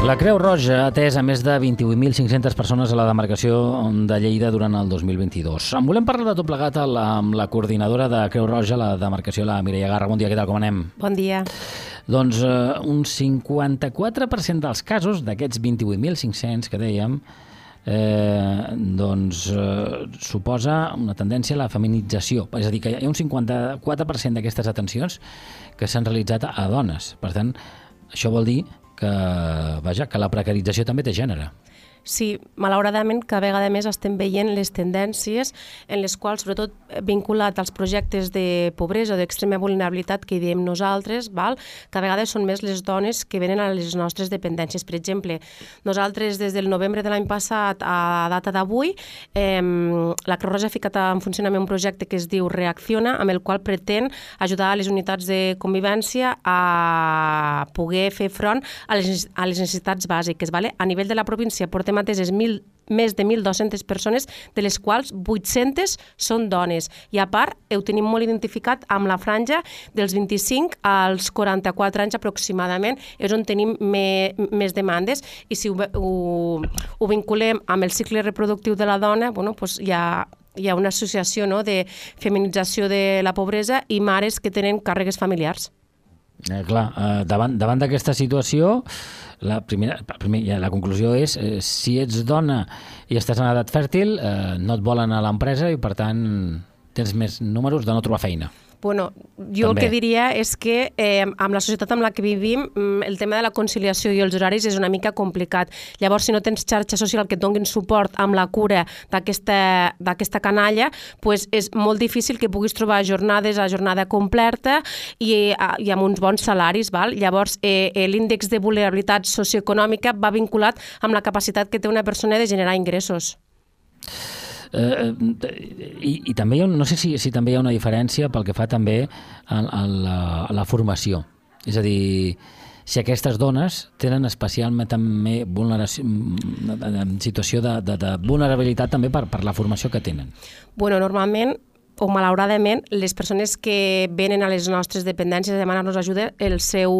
La Creu Roja ha atès a més de 28.500 persones a la demarcació de Lleida durant el 2022. En volem parlar de tot plegat amb la coordinadora de Creu Roja, la demarcació, la Mireia Garra. Bon dia, què tal, com anem? Bon dia. Doncs un 54% dels casos d'aquests 28.500 que dèiem suposa una tendència a la feminització. És a dir, que hi ha un 54% d'aquestes atencions que s'han realitzat a dones. Per tant, això vol dir que la precarització també té gènere. Sí, malauradament, cada vegada més estem veient les tendències en les quals, sobretot vinculat als projectes de pobresa o d'extrema vulnerabilitat que diem nosaltres, cada vegada són més les dones que venen a les nostres dependències. Per exemple, nosaltres des del novembre de l'any passat a data d'avui, la Creu Roja ha ficat en funcionament un projecte que es diu Reacciona, amb el qual pretén ajudar a les unitats de convivència a poder fer front a les necessitats bàsiques. A nivell de la província portem ateses més de 1.200 persones, de les quals 800 són dones. I a part, ho tenim molt identificat amb la franja dels 25 als 44 anys aproximadament, és on tenim més demandes, i si ho vinculem amb el cicle reproductiu de la dona, hi ha una associació de feminització de la pobresa i mares que tenen càrregues familiars. Davant d'aquesta situació, la conclusió és si ets dona i estàs en edat fèrtil, no et volen a l'empresa i per tant tens més números de no trobar feina. Jo el que diria és que amb la societat en la que vivim el tema de la conciliació i els horaris és una mica complicat. Llavors, si no tens xarxa social que et donin suport amb la cura d'aquesta canalla, és molt difícil que puguis trobar jornades a jornada completa i amb uns bons salaris. Llavors, l'índex de vulnerabilitat socioeconòmica va vinculat amb la capacitat que té una persona de generar ingressos. I també no sé si també hi ha una diferència pel que fa també a la formació, és a dir, si aquestes dones tenen especialment també situació de vulnerabilitat també per la formació que tenen. Normalment o malauradament, les persones que venen a les nostres dependències a demanar-nos ajuda, el seu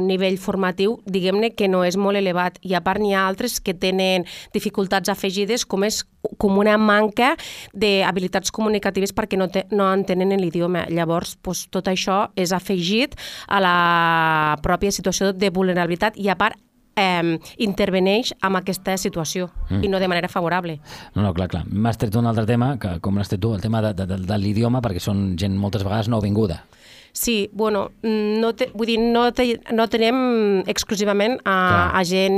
nivell formatiu, diguem-ne que no és molt elevat. I a part n'hi ha altres que tenen dificultats afegides, com una manca d'habilitats comunicatives perquè no entenen l'idioma. Llavors, tot això és afegit a la pròpia situació de vulnerabilitat i a part interveneix en aquesta situació i no de manera favorable. Clar. M'has tret un altre tema, que com l'has tret tu, el tema de l'idioma, perquè són gent moltes vegades nouvinguda. Sí, no tenem exclusivament a gent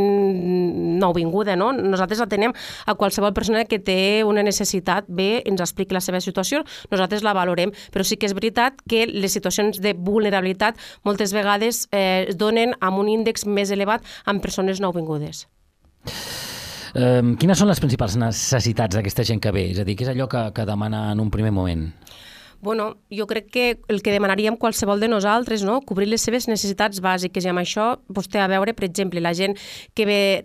nouvinguda, no? Nosaltres atenem a qualsevol persona que té una necessitat, ens expliqui la seva situació, nosaltres la valorem, però sí que és veritat que les situacions de vulnerabilitat moltes vegades es donen amb un índex més elevat amb persones nouvingudes. Quines són les principals necessitats d'aquesta gent que ve? És a dir, què és allò que demana en un primer moment? Jo crec que el que demanaríem qualsevol de nosaltres, cobrir les seves necessitats bàsiques, i amb això té a veure, per exemple, la gent que ve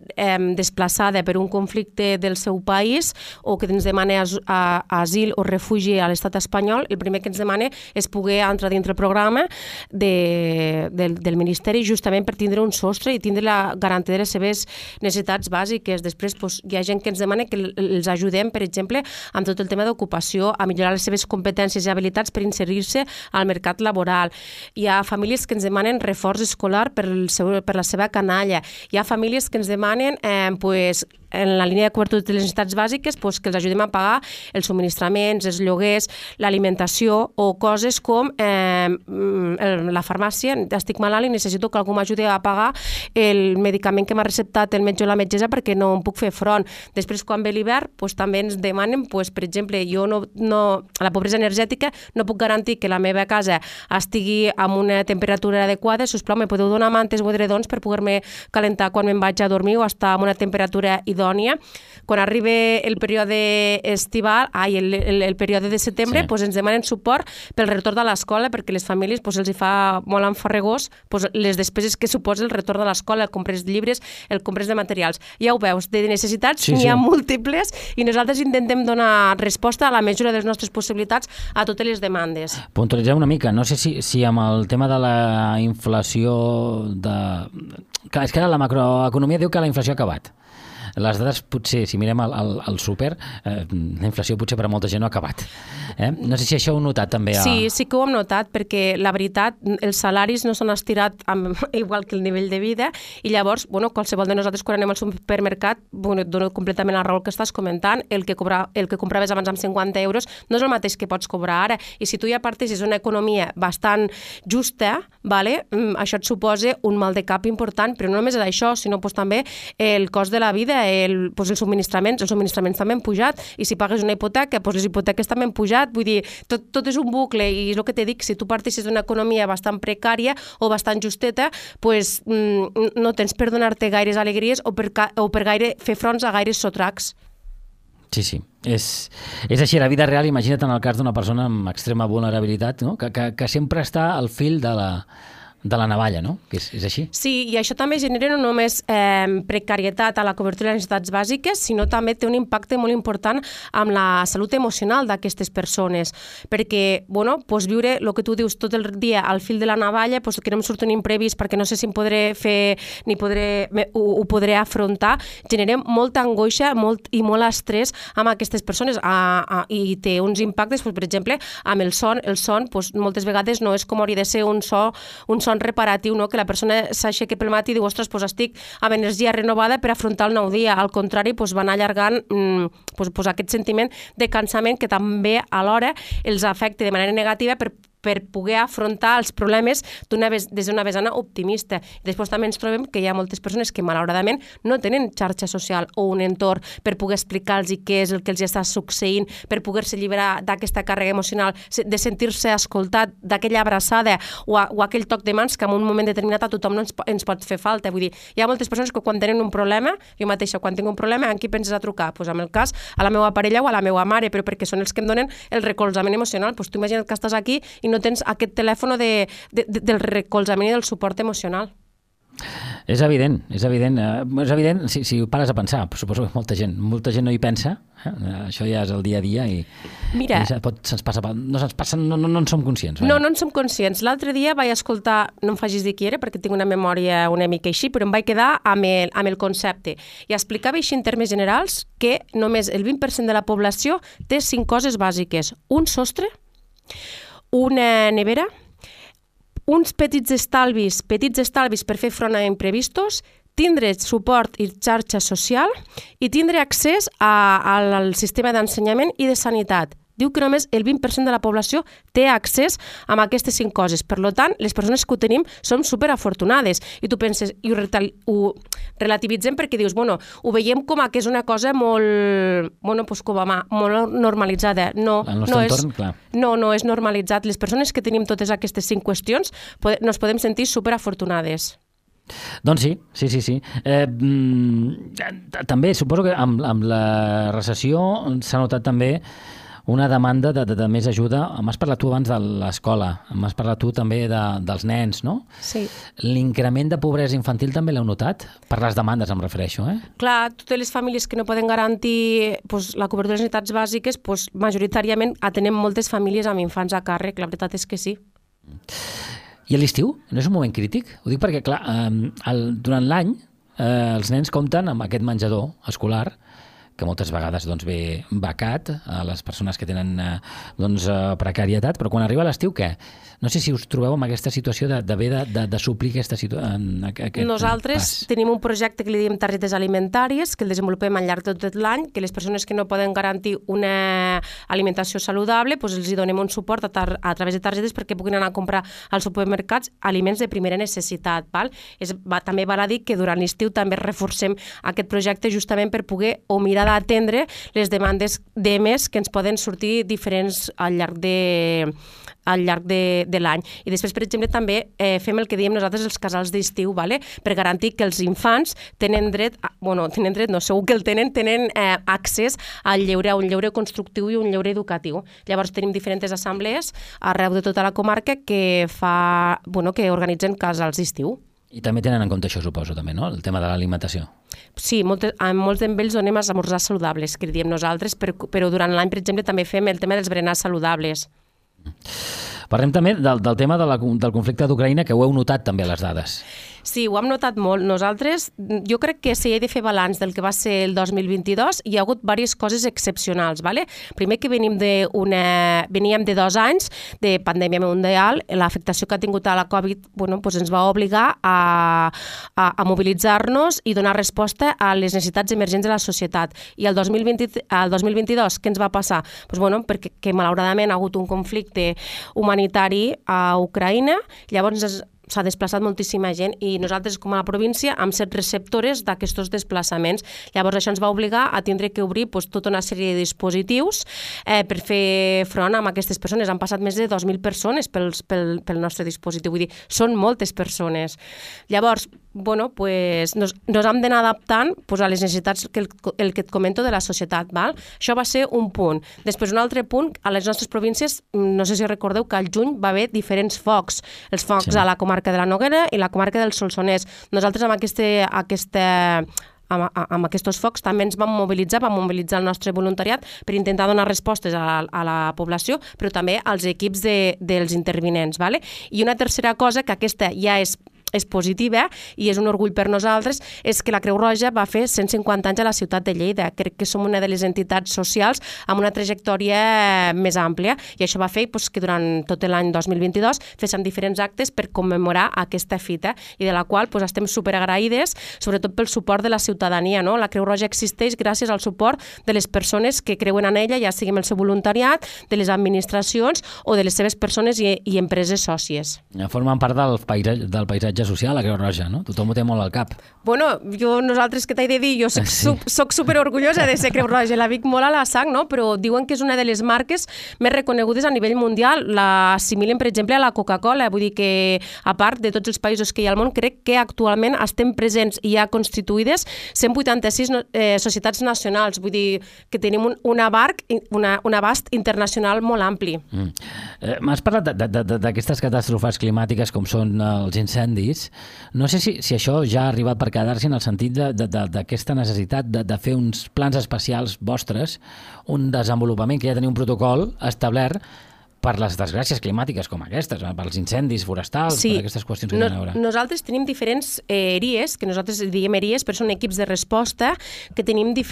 desplaçada per un conflicte del seu país o que ens demana asil o refugi a l'estat espanyol, el primer que ens demana és poder entrar dintre el programa del Ministeri justament per tindre un sostre i tindre la garantia de les seves necessitats bàsiques. Després hi ha gent que ens demana que els ajudem, per exemple, amb tot el tema d'ocupació, a millorar les seves competències i habilitats per inserir-se al mercat laboral. Hi ha famílies que ens demanen reforç escolar per la seva canalla. Hi ha famílies que ens demanen en la línia de cobertura de les necessitats bàsiques que els ajudem a pagar els subministraments, els lloguers, l'alimentació o coses com la farmàcia. Estic malalt i necessito que algú m'ajudi a pagar el medicament que m'ha receptat el metge o la metgessa perquè no em puc fer front. Després, quan ve l'hivern, també ens demanen, per exemple, jo a la pobresa energètica no puc garantir que la meva casa estigui amb una temperatura adequada, sisplau, me podeu donar mantes o edredons per poder-me calentar quan me'n vaig a dormir o estar amb una temperatura idònia. Quan arriba el període estival, el període de setembre, ens demanen suport pel retorn de l'escola perquè les famílies els hi fa molt enfarregós les despeses que suposa el retorn de l'escola, el compres de llibres, el compres de materials. Ja ho veus, de necessitats n'hi ha múltiples i nosaltres intentem donar resposta a la mesura de les nostres possibilitats a totes totes les demandes. Puntualitzem una mica. No sé si amb el tema de la inflació... Clar, és que la macroeconomia diu que la inflació ha acabat. Les dades, potser, si mirem el súper, la inflació potser per a molta gent no ha acabat. No sé si això ho heu notat també. Sí que ho hem notat, perquè la veritat, els salaris no s'han estirat igual que el nivell de vida, i llavors, qualsevol de nosaltres quan anem al supermercat, et dono completament la raó que estàs comentant, el que compraves abans amb 50 euros no és el mateix que pots cobrar ara, i si tu ja parteixes d'una economia bastant justa, això et suposa un mal de cap important, però no només és això, sinó també el cost de la vida, els subministraments també han pujat, i si pagues una hipoteca, les hipoteques també han pujat, vull dir, tot és un bucle, i és el que t'he dit, si tu parteixes d'una economia bastant precària o bastant justeta, no tens per donar-te gaires alegries o per fer fronts a gaires sotracs. Sí. És així, la vida real. Imagina't en el cas d'una persona amb extrema vulnerabilitat, no? que sempre està al fil de la navalla, no? Que és així. Sí, i això també genera no només precarietat a la cobertura de les necessitats bàsiques, sinó també té un impacte molt important amb la salut emocional d'aquestes persones, perquè, viure el que tu dius tot el dia al fil de la navalla, que no em surt un imprevist perquè no sé si em podré fer ni ho podré afrontar, genera molta angoixa i molt estrès amb aquestes persones, i té uns impactes, per exemple, amb el son. El son, moltes vegades no és com hauria de ser un son reparatiu, que la persona s'aixeca pel matí i diu, ostres, estic amb energia renovada per afrontar el nou dia. Al contrari, va anar allargant aquest sentiment de cansament que també alhora els afecta de manera negativa per poder afrontar els problemes des d'una vessant optimista. Després també ens trobem que hi ha moltes persones que malauradament no tenen xarxa social o un entorn per poder explicar-los què és el que els està succeint, per poder-se alliberar d'aquesta càrrega emocional, de sentir-se escoltat, d'aquella abraçada o aquell toc de mans que en un moment determinat a tothom no ens pot fer falta. Vull dir, hi ha moltes persones que quan tenen un problema, jo mateixa quan tinc un problema, en qui penses a trucar? En el cas, a la meva parella o a la meva mare, però perquè són els que em donen el recolzament emocional. Tu imagina't que estàs aquí i no tens aquest telèfon del recolzament i del suport emocional. És evident. Si ho pares a pensar, suposo que molta gent no hi pensa, això ja és el dia a dia i mira, no en som conscients. No en som conscients. L'altre dia vaig escoltar, no em facis dir qui era perquè tinc una memòria una mica així, però em vaig quedar amb el concepte, i explicava així en termes generals que només el 20% de la població té 5 coses bàsiques: un sostre, una nevera, uns petits estalvis per fer front a imprevistos, tindre suport i xarxa social i tindre accés al sistema d'ensenyament i de sanitat. Diu que només el 20% de la població té accés a aquestes 5 coses. Per tant, les persones que ho tenim som superafortunades. I tu penses, i ho relativitzem perquè dius, ho veiem com que és una cosa molt normalitzada. No és normalitzat. Les persones que tenim totes aquestes 5 qüestions nos podem sentir superafortunades. Doncs sí. També suposo que amb la recessió s'ha notat també una demanda de més ajuda. M'has parlat tu abans de l'escola, m'has parlat tu també dels nens, no? Sí. L'increment de pobresa infantil també l'heu notat? Per les demandes em refereixo, Clar, totes les famílies que no poden garantir la cobertura de les necessitats bàsiques, majoritàriament atenem moltes famílies amb infants a càrrec, la veritat és que sí. I a l'estiu? No és un moment crític? Ho dic perquè, clar, durant l'any els nens compten amb aquest menjador escolar que moltes vegades ve becat a les persones que tenen precarietat, però quan arriba l'estiu, què? No sé si us trobeu amb aquesta situació d'haver de suplir aquesta situació. Nosaltres tenim un projecte que li diem targetes alimentàries, que el desenvolupem al llarg de tot l'any, que les persones que no poden garantir una alimentació saludable, els hi donem un suport a través de targetes perquè puguin anar a comprar als supermercats aliments de primera necessitat. També val a dir que durant l'estiu també reforcem aquest projecte justament per poder o mirar d'atendre les demandes d'EMES que ens poden sortir diferents al llarg de l'any. I després, per exemple, també fem el que diem nosaltres els casals d'estiu, per garantir que els infants tenen dret, segur que el tenen accés al lleure, a un lleure constructiu i un lleure educatiu. Llavors tenim diferents assemblees arreu de tota la comarca que organitzen casals d'estiu. I també tenen en compte això, suposo, també, no? El tema de l'alimentació. Sí, a molts d'ells donem esmorzars saludables, que diem nosaltres, però durant l'any, per exemple, també fem el tema dels berenars saludables. Parlem també del tema del conflicte d'Ucraïna, que ho heu notat també a les dades. Sí, ho hem notat molt. Nosaltres, jo crec que si he de fer balanç del que va ser el 2022, hi ha hagut diverses coses excepcionals. ¿Vale? Primer que veníem de 2 anys de pandèmia mundial, l'afectació que ha tingut a la Covid pues ens va obligar a mobilitzar-nos i donar resposta a les necessitats emergents de la societat. I el 2022, què ens va passar? Pues perquè malauradament ha hagut un conflicte humanitari a Ucraïna, llavors s'ha desplaçat moltíssima gent i nosaltres, com a la província, hem set receptores d'aquests desplaçaments. Llavors això ens va obligar a tindre que obrir tota una sèrie de dispositius per fer front a aquestes persones. Han passat més de 2.000 persones pel nostre dispositiu, vull dir, són moltes persones. Llavors, pues, nos hem d'anar adaptant a les necessitats que et comento de la societat. Val? Això va ser un punt. Després, un altre punt, a les nostres províncies, no sé si recordeu que al juny va haver diferents focs. Els focs a la comarca de la Noguera i la comarca del Solsonès. Nosaltres amb aquests focs també ens vam mobilitzar el nostre voluntariat per intentar donar respostes a la població, però també als equips dels intervinents. Vale? I una tercera cosa, que aquesta ja és positiva i és un orgull per nosaltres, és que la Creu Roja va fer 150 anys a la ciutat de Lleida. Crec que som una de les entitats socials amb una trajectòria més àmplia i això va fer que durant tot l'any 2022 féssim diferents actes per commemorar aquesta fita i de la qual estem superagraïdes, sobretot pel suport de la ciutadania. No? La Creu Roja existeix gràcies al suport de les persones que creuen en ella, ja sigui amb el seu voluntariat, de les administracions o de les seves persones i empreses sòcies. Formen part del paisatge social, la Creu Roja, no? Tothom ho té molt al cap. Nosaltres, què t'he de dir? Jo soc superorgullosa de ser Creu Roja, la vic molt a la sang, no? Però diuen que és una de les marques més reconegudes a nivell mundial. L'assimilen, per exemple, a la Coca-Cola. Vull dir que, a part de tots els països que hi ha al món, crec que actualment estem presents i ja constituïdes 186 societats nacionals. Vull dir que tenim un abast internacional molt ampli. M'has parlat d'aquestes catàstrofes climàtiques com són els incendis. No sé si això ja ha arribat per quedar-se en el sentit d'aquesta necessitat de fer uns plans especials vostres, un desenvolupament que ja teniu un protocol establert per les desgràcies climàtiques com aquestes, pels incendis forestals, per aquestes qüestions que tenen a veure. Nosaltres tenim diferents ERIES, que nosaltres diem ERIES, però són equips de resposta que tenim de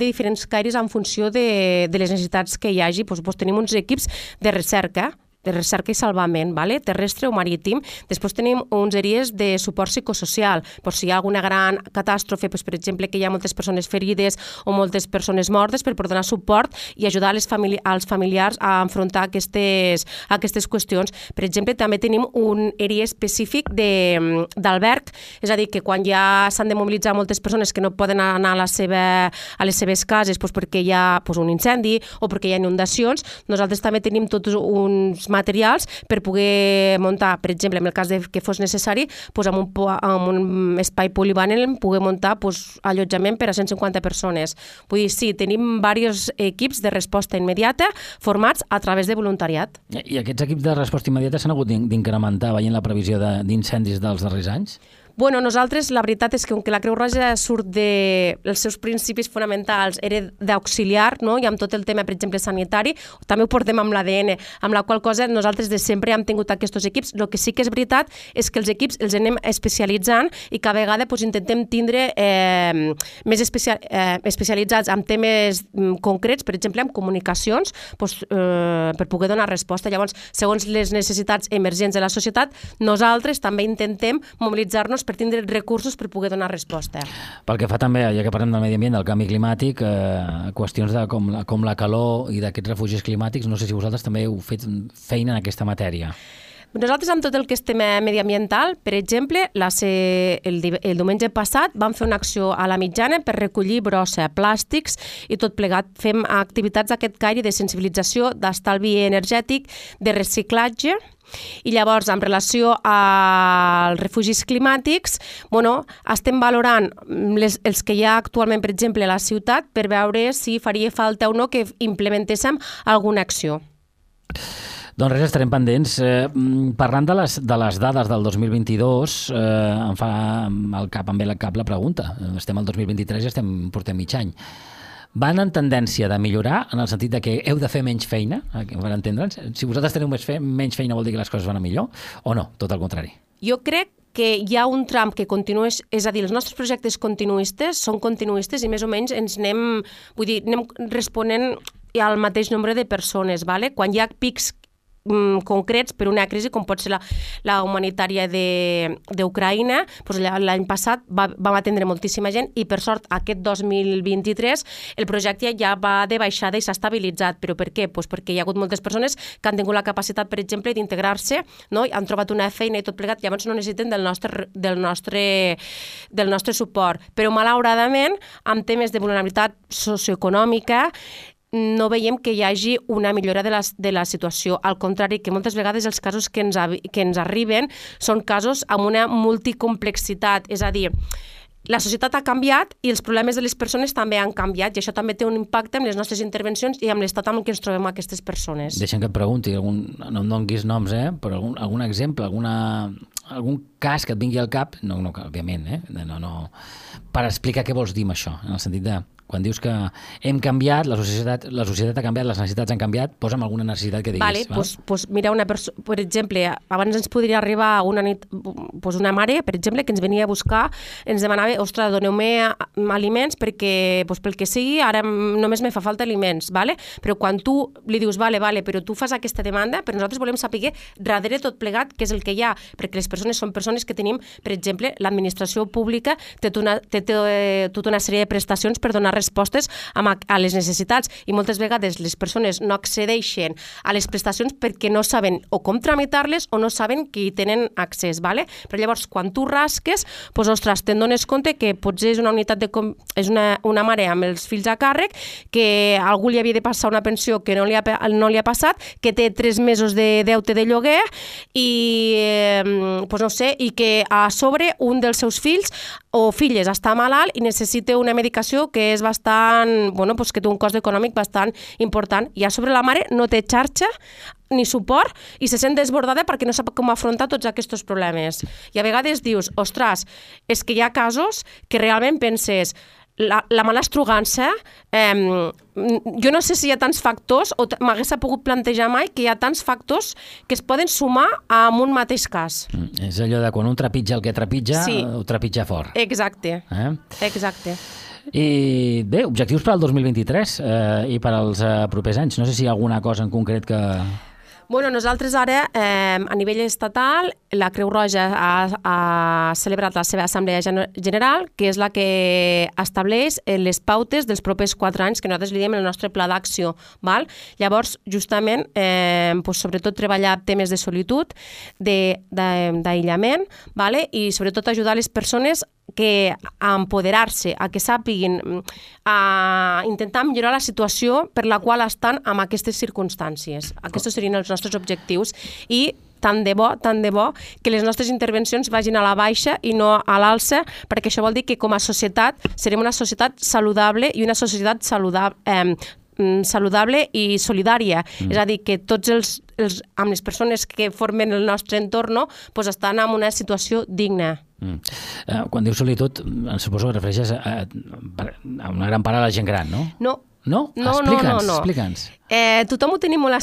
diferents caires en funció de les necessitats que hi hagi. Tenim uns equips de recerca i salvament, terrestre o marítim. Després tenim uns ERIES de suport psicosocial, si hi ha alguna gran catàstrofe, per exemple, que hi ha moltes persones ferides o moltes persones mortes, per donar suport i ajudar als familiars a enfrontar aquestes qüestions. Per exemple, també tenim un ERIE específic d'alberg, és a dir, que quan ja s'han de mobilitzar moltes persones que no poden anar a les seves cases perquè hi ha un incendi o perquè hi ha inundacions, nosaltres també tenim tots uns materials per poder muntar, per exemple, en el cas que fos necessari, amb un espai polivalent poder muntar allotjament per a 150 persones. Vull dir, sí, tenim diversos equips de resposta immediata formats a través de voluntariat. I aquests equips de resposta immediata s'han hagut d'incrementar veient la previsió d'incendis dels darrers anys? Nosaltres, la veritat és que com que la Creu Roja surt dels seus principis fonamentals, era d'auxiliar, no? I amb tot el tema, per exemple, sanitari, també ho portem amb l'ADN, amb la qual cosa nosaltres de sempre hem tingut aquests equips. El que sí que és veritat és que els equips els anem especialitzant i cada vegada intentem tindre més especialitzats en temes concrets, per exemple, en comunicacions, per poder donar resposta. Llavors, segons les necessitats emergents de la societat, nosaltres també intentem mobilitzar-nos per tindre recursos per poder donar resposta. Pel que fa també, ja que parlem del medi ambient, del canvi climàtic, qüestions com la calor i d'aquests refugis climàtics, no sé si vosaltres també heu fet feina en aquesta matèria. Nosaltres, amb tot el que és tema mediambiental, per exemple, el diumenge passat vam fer una acció a la Mitjana per recollir brossa, plàstics i tot plegat. Fem activitats d'aquest caire de sensibilització, d'estalvi energètic, de reciclatge. I llavors, en relació als refugis climàtics, estem valorant els que hi ha actualment, per exemple, a la ciutat, per veure si faria falta o no que implementéssim alguna acció. Doncs res, estarem pendents. Parlant de les dades del 2022, em ve al cap la pregunta. Estem al 2023 i portem mig any. van en tendència de millorar, en el sentit de que heu de fer menys feina, per entendre'ns? Si vosaltres teniu menys feina vol dir que les coses van a millor, o no? Tot el contrari. Jo crec que hi ha un tram que continués, és a dir, els nostres projectes continuistes són continuistes i més o menys ens anem responent al mateix nombre de persones. Vale? Quan hi ha pics concrets per una crisi com pot ser la humanitària d'Ucraïna, doncs l'any passat vam atendre moltíssima gent i per sort aquest 2023 el projecte ja va de baixada i s'ha estabilitzat. Però per què? Doncs perquè hi ha hagut moltes persones que han tingut la capacitat, per exemple, d'integrar-se, no? Han trobat una feina i tot plegat, llavors no necessiten del nostre suport. Però malauradament, amb temes de vulnerabilitat socioeconòmica, no veiem que hi hagi una millora de la situació. Al contrari, que moltes vegades els casos que ens arriben són casos amb una multicomplexitat. És a dir, la societat ha canviat i els problemes de les persones també han canviat i això també té un impacte en les nostres intervencions i amb l'estat en què ens trobem aquestes persones. Deixa'm que et pregunti, no em donguis noms, però algun exemple, algun cas que et vingui al cap, no òbviament, no, per explicar què vols dir amb això, en el sentit de quan dius que hem canviat, la societat ha canviat, les necessitats han canviat, posa'm alguna necessitat que diguis. Pues mira, per exemple, abans ens podria arribar una nit una mare, per exemple, que ens venia a buscar, ens demanava, ostres, doneu-me aliments perquè, pel que sigui, ara només me fa falta aliments, vale? Però quan tu li dius, vale, però tu fas aquesta demanda, però nosaltres volem saber darrere tot plegat què és el que hi ha, perquè les persones són persones que tenim, per exemple, l'administració pública té tota una sèrie de prestacions per donar respostes a les necessitats i moltes vegades les persones no accedeixen a les prestacions perquè no saben o com tramitar-les o no saben que hi tenen accés, vale? Però llavors quan tu rasques, doncs ostres, te'n dones compte que potser és és una mare amb els fills a càrrec, que a algú li havia de passar una pensió que no li ha passat, que té 3 mesos de deute de lloguer i no sé, i que a sobre un dels seus fills o filles està malalt i necessita una medicació que és bastant, que té un cost econòmic bastant important. I a sobre la mare no té xarxa ni suport i se sent desbordada perquè no sap com afrontar tots aquests problemes. I a vegades dius, ostres, és que hi ha casos que realment penses, la malastrugança, jo no sé si hi ha tants factors o m'hagués pogut plantejar mai que hi ha tants factors que es poden sumar en un mateix cas. És allò de quan un trepitja el que trepitja, ho trepitja fort. Exacte, exacte. I bé, objectius per al 2023 i per als propers anys. No sé si hi ha alguna cosa en concret que... Bueno, nosaltres ara, a nivell estatal, la Creu Roja ha celebrat la seva assemblea general, que és la que estableix les pautes dels propers 4 anys, que nosaltres li diem el nostre pla d'acció. Llavors, justament, sobretot treballar temes de solitud, d'aïllament, i sobretot ajudar les persones a empoderar-se, a que sàpiguin, a intentar millorar la situació per la qual estan en aquestes circumstàncies. Aquests serien els nostres objectius i tant de bo que les nostres intervencions vagin a la baixa i no a l'alça, perquè això vol dir que com a societat serem una societat saludable i una societat saludable i solidària. És a dir, que tots amb les persones que formen el nostre entorn estan en una situació digna. Quan dius solitud, suposo que refereixes a una gran part de la gent gran, no? No. No? Explica'ns. Tothom ho tenim molt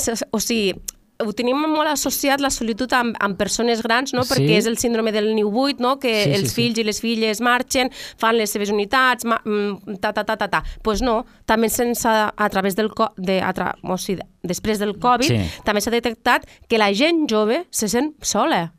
ho tenim molt associat, la solitud, amb persones grans, no? Perquè és el síndrome del niu buit, no? Que els fills i les filles marxen, fan les seves unitats, Doncs no, també a través després del Covid, també s'ha detectat que la gent jove se sent sola.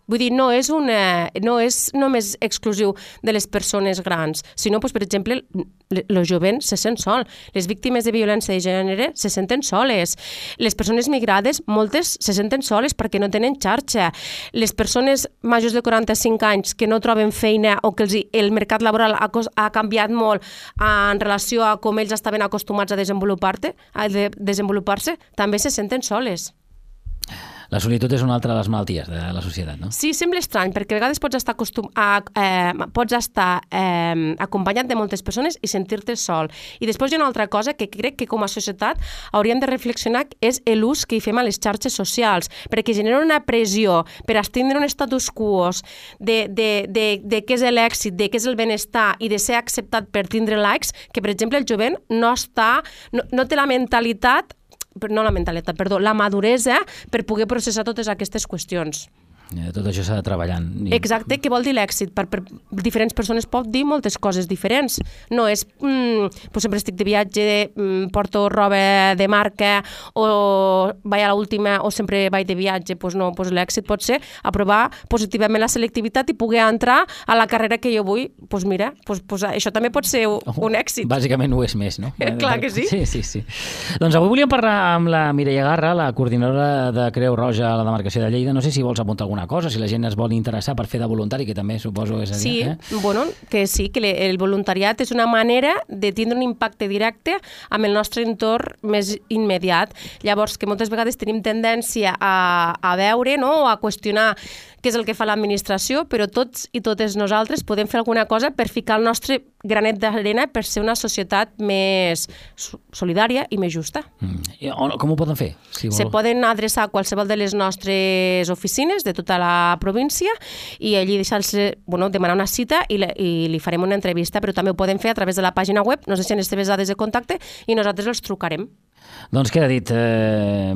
Vull dir, no és només exclusiu de les persones grans, sinó, per exemple, els jovents se sent sol. Les víctimes de violència de gènere se senten soles. Les persones migrades, moltes se senten soles perquè no tenen xarxa. Les persones majors de 45 anys que no troben feina o que el mercat laboral ha canviat molt en relació a com ells estaven acostumats a desenvolupar-se, també se senten soles. La solitud és una altra de les malalties de la societat, no? Sí, sembla estrany, perquè a vegades pots estar acompanyat de moltes persones i sentir-te sol. I després hi ha una altra cosa que crec que com a societat hauríem de reflexionar, és l'ús que hi fem a les xarxes socials, perquè genera una pressió per estendre un status quo de què és l'èxit, de què és el benestar i de ser acceptat per tindre likes, que per exemple el jovent no té la maduresa per poder processar totes aquestes qüestions. Tot això s'ha de treballar. Exacte, què vol dir l'èxit? Per diferents persones pot dir moltes coses diferents. No és, sempre estic de viatge, porto roba de marca, o vaig a l'última, o sempre vaig de viatge. No, l'èxit pot ser aprovar positivament la selectivitat i poder entrar a la carrera que jo vull. Mira, això també pot ser un èxit. Bàsicament ho és més, no? Clar que sí. Sí. Doncs avui volíem parlar amb la Mireia Garra, la coordinadora de Creu Roja a la demarcació de Lleida. No sé si vols apuntar alguna cosa, si la gent es vol interessar per fer de voluntari, que també suposo és a dir. Sí, que el voluntariat és una manera de tindre un impacte directe amb el nostre entorn més immediat. Llavors, que moltes vegades tenim tendència a veure, no?, o a qüestionar què és el que fa l'administració, però tots i totes nosaltres podem fer alguna cosa per ficar el nostre granet d'arena per ser una societat més solidària i més justa. Com ho poden fer? Se poden adreçar a qualsevol de les nostres oficines de tota la província i allí demanar una cita i li farem una entrevista, però també ho poden fer a través de la pàgina web, nos deixen les seves dades de contacte i nosaltres els trucarem. Doncs queda dit.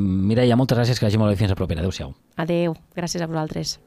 Mireia, moltes gràcies, que vagi molt bé, fins a propera. Adéu-siau. Adéu, gràcies a vosaltres.